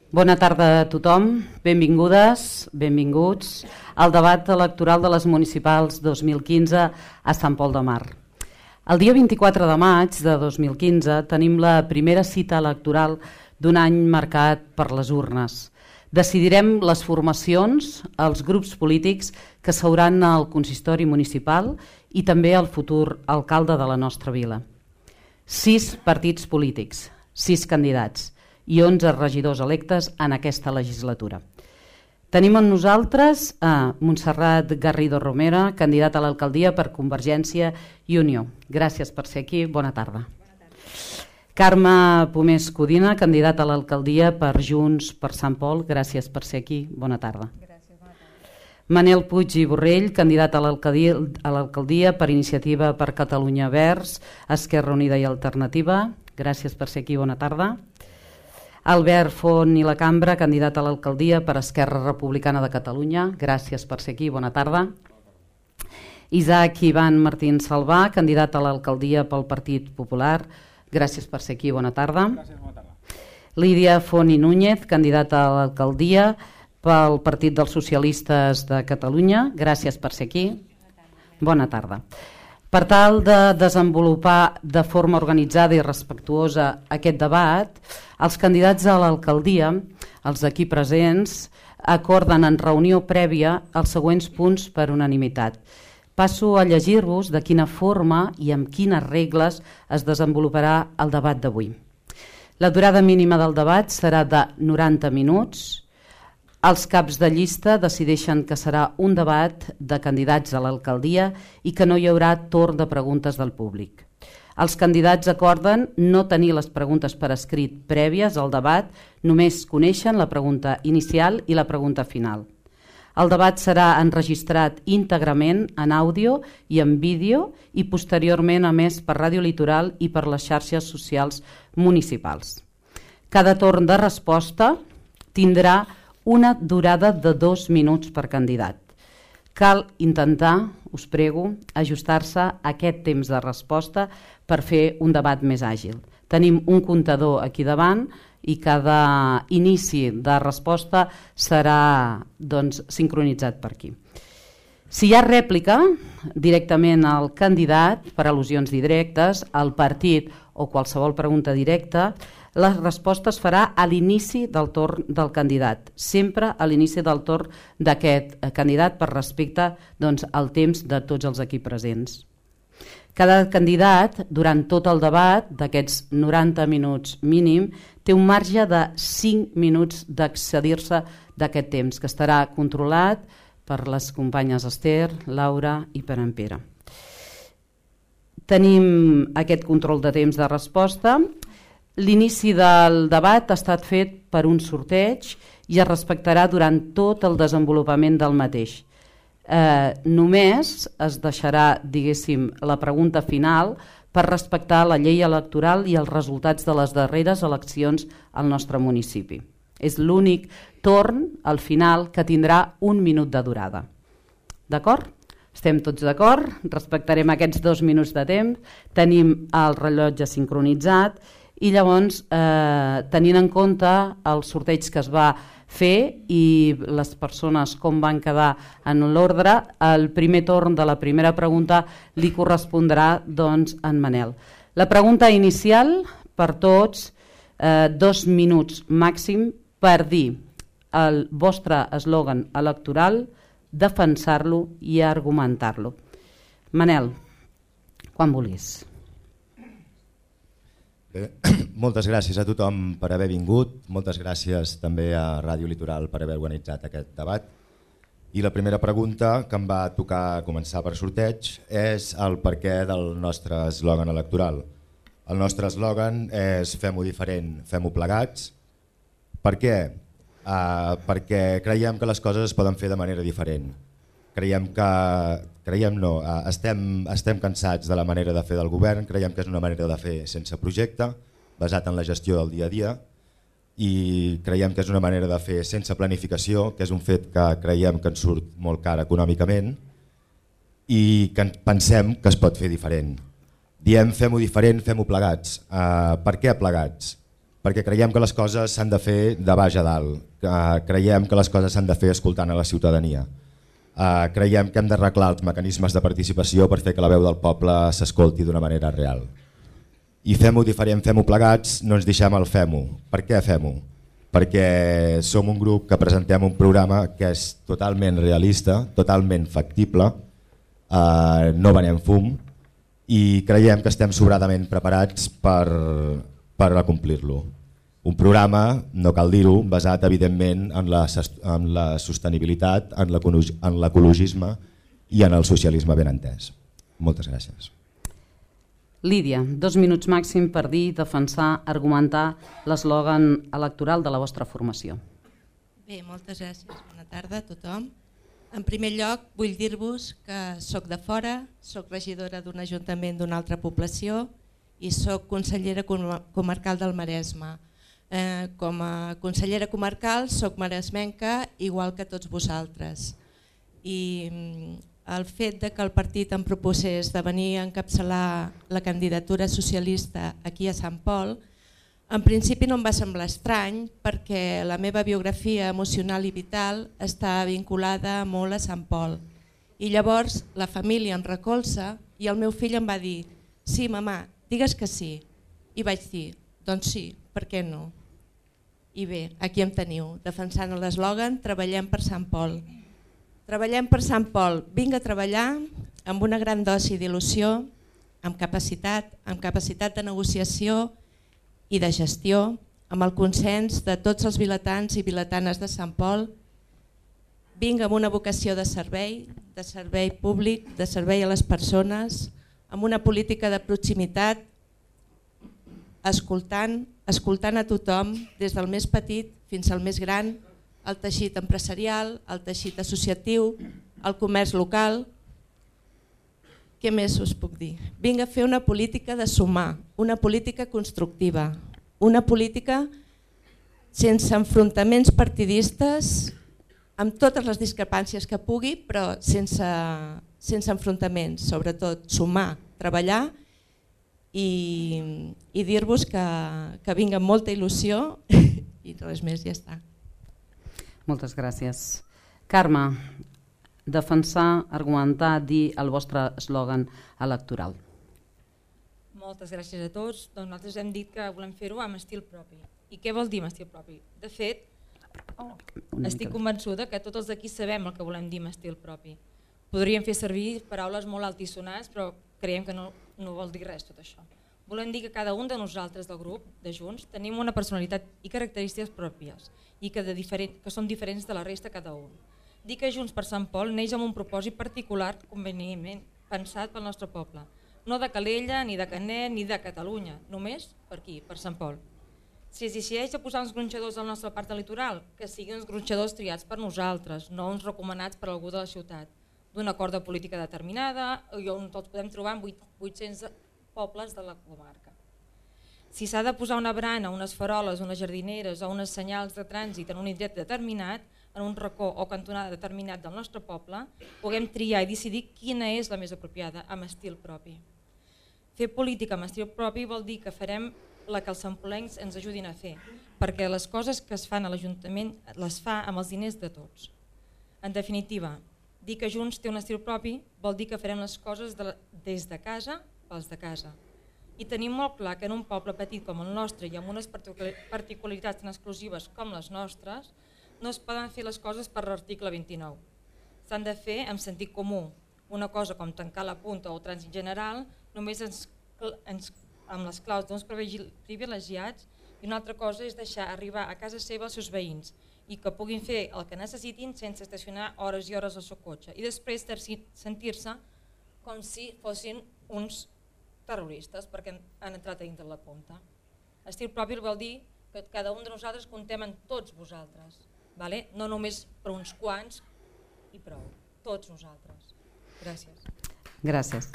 Bona tarda a tothom, benvingudes, benvinguts al debat electoral de les municipals 2015 a Sant Pol de Mar. El dia 24 de maig de 2015 tenim la primera cita electoral d'un any marcat per les urnes. Decidirem les formacions, els grups polítics que seuran al consistori municipal i també el futur alcalde de la nostra vila. 6 partits polítics, 6 candidats i 11 regidors electes en aquesta legislatura. Tenim amb nosaltres a Montserrat Garrido Romera, candidata a l'alcaldia per Convergència i Unió. Gràcies per ser aquí, bona tarda. Carme Pomés Codina, candidata a l'alcaldia per Junts per Sant Pol. Gràcies per ser aquí, bona tarda. Gràcies, bona tarda. Manel Puig i Borrell, candidat a l'alcaldia per Iniciativa per Catalunya Verds, Esquerra Unida i Alternativa. Gràcies per ser aquí, bona tarda. Albert Font i la Cambra, candidat a l'alcaldia per Esquerra Republicana de Catalunya. Gràcies per ser aquí, bona tarda. Isaac Ivan Martín Salvà, candidat a l'alcaldia pel Partit Popular. Gràcies per ser aquí, bona tarda. Gràcies, bona tarda. Lídia Font i Núñez, candidata a l'alcaldia pel Partit dels Socialistes de Catalunya. Gràcies per ser aquí. Bona tarda. Per tal de desenvolupar de forma organitzada i respectuosa aquest debat, els candidats a l'alcaldia, els d'aquí presents, acorden en reunió prèvia els següents punts per unanimitat. Passo a llegir-vos de quina forma i amb quines regles es desenvoluparà el debat d'avui. La durada mínima del debat serà de 90 minuts. Els caps de llista decideixen que serà un debat de candidats a l'alcaldia i que no hi haurà torn de preguntes del públic. Els candidats acorden no tenir les preguntes per escrit prèvies al debat, només coneixen la pregunta inicial i la pregunta final. El debat serà enregistrat íntegrament en àudio i en vídeo i posteriorment emès per Ràdio Litoral i per les xarxes socials municipals. Cada torn de resposta tindrà una durada de 2 minuts per candidat. Cal intentar, us prego, ajustar-se a aquest temps de resposta per fer un debat més àgil. Tenim un comptador aquí davant i cada inici de resposta serà sincronitzat per aquí. Si hi ha rèplica directament al candidat per al·lusions directes, al partit o qualsevol pregunta directa, la resposta es farà a l'inici del torn del candidat, sempre a l'inici del torn d'aquest candidat per respecte al temps de tots els aquí presents. Cada candidat, durant tot el debat d'aquests 90 minuts mínim, té un marge de 5 minuts d'excedir-se d'aquest temps, que estarà controlat per les companyes Esther, Laura i per en Pere. Tenim aquest control de temps de resposta. L'inici del debat ha estat fet per un sorteig i es respectarà durant tot el desenvolupament del mateix. Només es deixarà, diguéssim, la pregunta final per respectar la llei electoral i els resultats de les darreres eleccions al nostre municipi. És l'únic torn, al final, que tindrà 1 minut de durada. D'acord? Estem tots d'acord? Respectarem aquests 2 minuts de temps. Tenim el rellotge sincronitzat i llavors, tenint en compte el sorteig que es va fer i les persones com van quedar en l'ordre, el primer torn de la primera pregunta li correspondrà en Manel. La pregunta inicial per tots, 2 minuts màxim per dir el vostre eslògan electoral, defensar-lo i argumentar-lo. Manel, quan vulguis. Moltes gràcies a tothom per haver vingut, moltes gràcies també a Ràdio Litoral per haver organitzat aquest debat. I la primera pregunta que em va tocar començar per sorteig és el perquè del nostre eslògan electoral. El nostre eslògan és fem-ho diferent, fem-ho plegats. Per què? Perquè creiem que les coses es poden fer de manera diferent. Estem cansats de la manera de fer del govern, creiem que és una manera de fer sense projecte, basat en la gestió del dia a dia, i creiem que és una manera de fer sense planificació, que és un fet que creiem que ens surt molt car econòmicament i que pensem que es pot fer diferent. Diem fem-ho diferent, fem-ho plegats. Per què plegats? perquè creiem que les coses s'han de fer de baix a dalt, creiem que les coses s'han de fer escoltant a la ciutadania, creiem que hem d'arreglar els mecanismes de participació per fer que la veu del poble s'escolti d'una manera real. I fem-ho diferent, fem-ho plegats, no ens deixem el fem-ho. Per què fem-ho? Perquè som un grup que presentem un programa que és totalment realista, totalment factible, no venem fum i creiem que estem sobradament preparats per acomplir-lo. Un programa, no cal dir-ho, basat evidentment en la sostenibilitat, en l'ecologisme i en el socialisme ben entès. Moltes gràcies. Lídia, 2 minuts màxim per dir, defensar, argumentar l'eslògan electoral de la vostra formació. Bé, moltes gràcies. Bona tarda a tothom. En primer lloc, vull dir-vos que soc de fora, soc regidora d'un ajuntament d'una altra població i soc consellera comarcal del Maresme. Com a consellera comarcal soc maresmenca igual que tots vosaltres. I el fet de que el partit em proposés de venir a encapçalar la candidatura socialista aquí a Sant Pol, en principi no em va semblar estrany perquè la meva biografia emocional i vital està vinculada molt a Sant Pol. I llavors la família em recolza i el meu fill em va dir «Sí, mamà, digues que sí». I vaig dir «Doncs sí, per què no?» I bé, aquí em teniu, defensant l'eslògan «Treballem per Sant Pol». Treballem per Sant Pol, vinc a treballar amb una gran dosi d'il·lusió, amb capacitat de negociació i de gestió, amb el consens de tots els vilatans i vilatanes de Sant Pol. Vinc amb una vocació de servei públic, de servei a les persones, amb una política de proximitat, escoltant a tothom, des del més petit fins al més gran, el teixit empresarial, el teixit associatiu, el comerç local. Què més us puc dir? Vinc a fer una política de sumar, una política constructiva, una política sense enfrontaments partidistes, amb totes les discrepàncies que pugui, però sense enfrontaments, sobretot sumar, treballar i dir-vos que vinc amb molta il·lusió i res més, ja està. Moltes gràcies. Carme, defensar, argumentar, dir el vostre eslògan electoral. Moltes gràcies a tots. Doncs nosaltres hem dit que volem fer-ho amb estil propi. I què vol dir amb estil propi? De fet, estic convençuda que tots els d'aquí sabem el que volem dir amb estil propi. Podríem fer servir paraules molt altisonants, però creiem que no vol dir res tot això. Volem dir que cada un de nosaltres del grup, de Junts, tenim una personalitat i característiques pròpies i que són diferents de la resta cada un. Dir que Junts per Sant Pol neix amb un propòsit particular convenientment pensat pel nostre poble, no de Calella, ni de Canet, ni de Catalunya, només per aquí, per Sant Pol. Si es decideix a posar uns gronxadors al nostre parc litoral, que siguin uns gronxadors triats per nosaltres, no uns recomanats per algú de la ciutat, d'una corda política determinada i on tots podem trobar en 800 pobles de la comarca. Si s'ha de posar una brana, unes faroles, unes jardineres o uns senyals de trànsit en un indret determinat, en un racó o cantonada determinat del nostre poble, puguem triar i decidir quina és la més apropiada amb estil propi. Fer política amb estil propi vol dir que farem la que els sampolencs ens ajudin a fer, perquè les coses que es fan a l'Ajuntament les fa amb els diners de tots. En definitiva, dir que Junts té un estil propi vol dir que farem les coses des de casa pels de casa. I tenim molt clar que en un poble petit com el nostre i amb unes particularitats tan exclusives com les nostres, no es poden fer les coses per l'article 29. S'han de fer amb sentit comú. Una cosa com tancar la punta o el trànsit general només amb les claus d'uns privilegiats i una altra cosa és deixar arribar a casa seva els seus veïns i que puguin fer el que necessitin sense estacionar hores i hores al seu cotxe i després sentir-se com si fossin uns terroristes perquè han entrat a dintre la punta. Estil propi vol dir que cada un de nosaltres comptem en tots vosaltres, no només per uns quants i prou, tots nosaltres. Gràcies. Gràcies.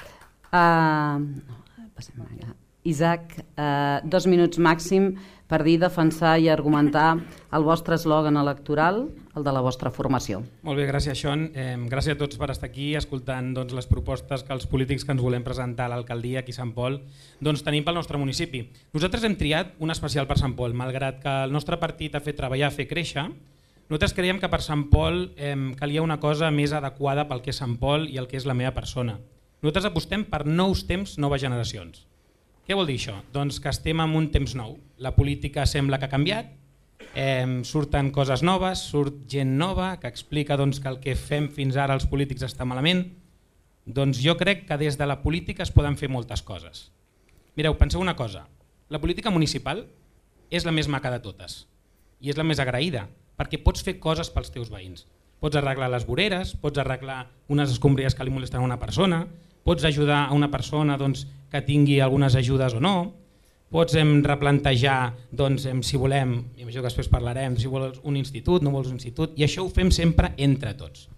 Isaac, 2 minuts màxim per dir, defensar i argumentar el vostre eslògan electoral, el de la vostra formació. Molt bé, gràcies, Sean. Gràcies a tots per estar aquí escoltant les propostes que els polítics que ens volem presentar a l'alcaldia aquí a Sant Pol tenim pel nostre municipi. Nosaltres hem triat un especial per Sant Pol, malgrat que el nostre partit ha fet treballar, fer créixer. Nosaltres creiem que per Sant Pol calia una cosa més adequada pel que és Sant Pol i el que és la meva persona. Nosaltres apostem per nous temps, noves generacions. Què vol dir això? Doncs que estem en un temps nou. La política sembla que ha canviat, surten coses noves, surt gent nova que explica que el que fem fins ara els polítics està malament. Doncs jo crec que des de la política es poden fer moltes coses. Mireu, penseu una cosa, la política municipal és la més maca de totes i és la més agraïda, perquè pots fer coses pels teus veïns. Pots arreglar les voreres, pots arreglar unes escombraries que li molesten a una persona, pots ajudar a una persona que tingui algunes ajudes o no, pots replantejar si volem, imagino que després parlarem, si vols un institut, no vols un institut, i això ho fem sempre entre tots.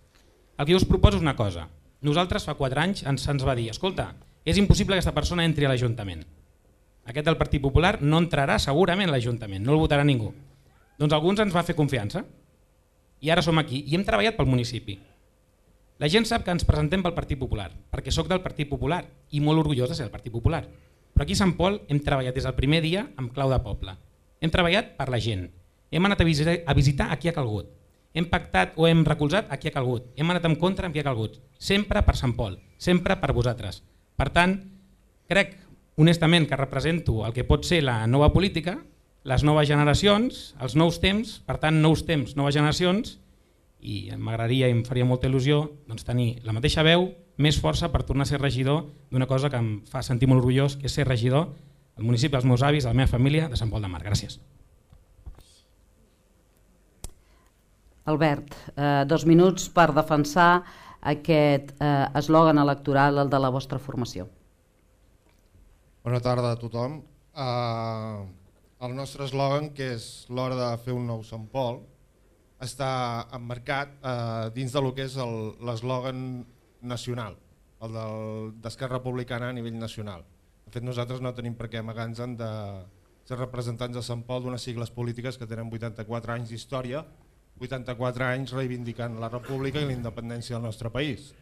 El que jo us proposo és una cosa. Nosaltres fa 4 anys se'ns va dir, escolta, és impossible que aquesta persona entri a l'Ajuntament. Aquest del Partit Popular no entrarà segurament a l'Ajuntament, no el votarà ningú. Doncs alguns ens va fer confiança i ara som aquí i hem treballat pel municipi. La gent sap que ens presentem pel Partit Popular, perquè sóc del Partit Popular i molt orgullós de ser del Partit Popular. Però aquí a Sant Pol hem treballat des del primer dia amb clau de poble. Hem treballat per la gent, hem anat a visitar a qui ha calgut, hem pactat o hem recolzat a qui ha calgut, hem anat en contra amb qui ha calgut, sempre per Sant Pol, sempre per vosaltres. Per tant, crec honestament que represento el que pot ser la nova política, les noves generacions, els nous temps, per tant nous temps, noves generacions, i m'agradaria i em faria molta il·lusió tenir la mateixa veu, més força per tornar a ser regidor d'una cosa que em fa sentir molt orgullós, que és ser regidor al municipi dels meus avis, de la meva família, de Sant Pol de Mar. Gràcies. Albert, 2 minuts per defensar aquest eslògan electoral, el de la vostra formació. Bona tarda a tothom. El nostre eslògan, que és l'hora de fer un nou Sant Pol, està emmarcat dins del que és l'eslògan nacional, el d'Esquerra Republicana a nivell nacional. De fet, nosaltres no tenim per què amagar-nos de ser representants de Sant Pol d'unes sigles polítiques que tenen 84 anys d'història, 84 anys reivindicant la república i la independència del nostre país.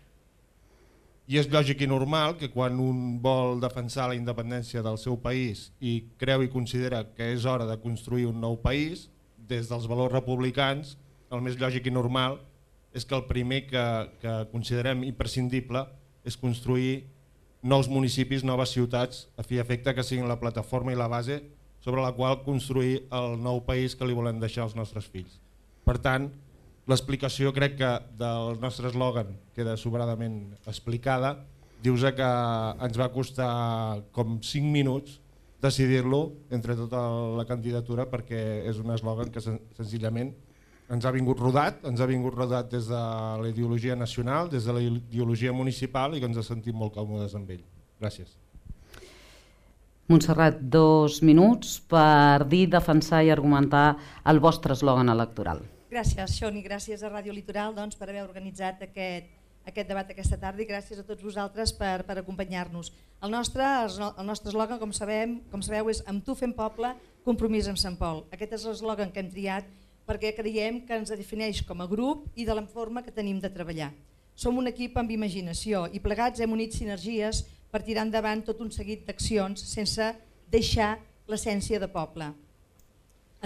I és lògic i normal que quan un vol defensar la independència del seu país i creu i considera que és hora de construir un nou país, des dels valors republicans, el més lògic i normal és que el primer que considerem imprescindible és construir nous municipis, noves ciutats, a fi i efecte que siguin la plataforma i la base sobre la qual construir el nou país que li volem deixar als nostres fills. Per tant, l'explicació crec que del nostre eslògan queda sobradament explicada. Dius que ens va costar com 5 minuts decidir-lo entre tota la candidatura perquè és un eslògan que senzillament ens ha vingut rodat des de la ideologia nacional, des de la ideologia municipal i que ens ha sentit molt còmodes amb ell. Gràcies. Montserrat, 2 minuts per dir, defensar i argumentar el vostre eslògan electoral. Gràcies, Sean, i gràcies a Ràdio Litoral per haver organitzat aquest debat aquesta tarda i gràcies a tots vosaltres per acompanyar-nos. El nostre eslògan, com sabeu, és amb tu fem poble, compromís amb Sant Pol. Aquest és l'eslògan que hem triat perquè creiem que ens defineix com a grup i de la forma que tenim de treballar. Som un equip amb imaginació i plegats hem unit sinergies per tirar endavant tot un seguit d'accions sense deixar l'essència de poble.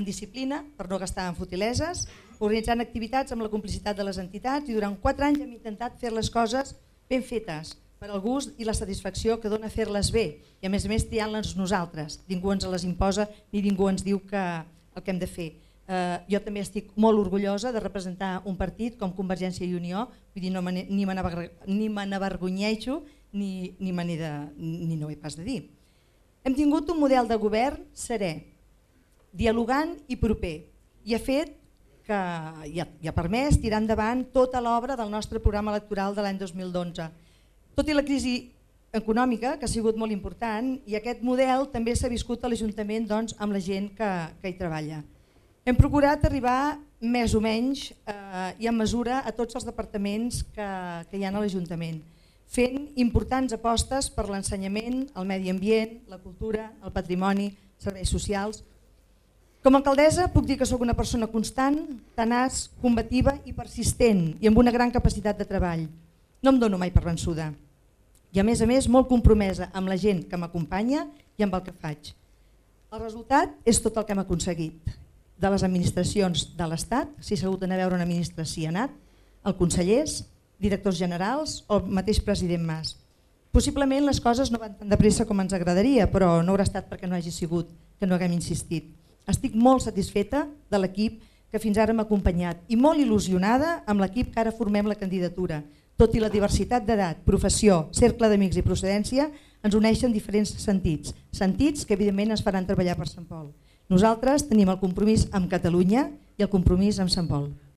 En disciplina, per no gastar en futileses, organitzant activitats amb la complicitat de les entitats i durant 4 anys hem intentat fer les coses ben fetes per al gust i la satisfacció que dona fer-les bé i a més triant-les nosaltres. Ningú ens les imposa ni ningú ens diu el que hem de fer. Jo també estic molt orgullosa de representar un partit com Convergència i Unió, vull dir, ni me n'avergonyeixo ni no ho he pas de dir. Hem tingut un model de govern serè, dialogant i proper i ha fet que ha permès tirar endavant tota l'obra del nostre programa electoral de l'any 2012. Tot i la crisi econòmica, que ha sigut molt important, i aquest model també s'ha viscut a l'Ajuntament amb la gent que hi treballa. Hem procurat arribar més o menys i en mesura a tots els departaments que hi ha a l'Ajuntament. fent importants apostes per l'ensenyament, el medi ambient, la cultura, el patrimoni, serveis socials. Com a alcaldessa puc dir que sóc una persona constant, tenaç, combativa i persistent i amb una gran capacitat de treball. No em dono mai per vençuda. I a més, molt compromesa amb la gent que m'acompanya i amb el que faig. El resultat és tot el que hem aconseguit. De les administracions de l'Estat, si s'ha hagut d'anar a veure una ministra si ha anat, els consellers, directors generals o el mateix president Mas. Possiblement les coses no van tan de pressa com ens agradaria, però no haurà estat perquè no hagi sigut que no haguem insistit. Estic molt satisfeta de l'equip que fins ara m'ha acompanyat i molt il·lusionada amb l'equip que ara formem la candidatura. Tot i la diversitat d'edat, professió, cercle d'amics i procedència ens uneixen diferents sentits, sentits que evidentment ens faran treballar per Sant Pol. Nosaltres tenim el compromís amb Catalunya i el compromís amb Sant Pol.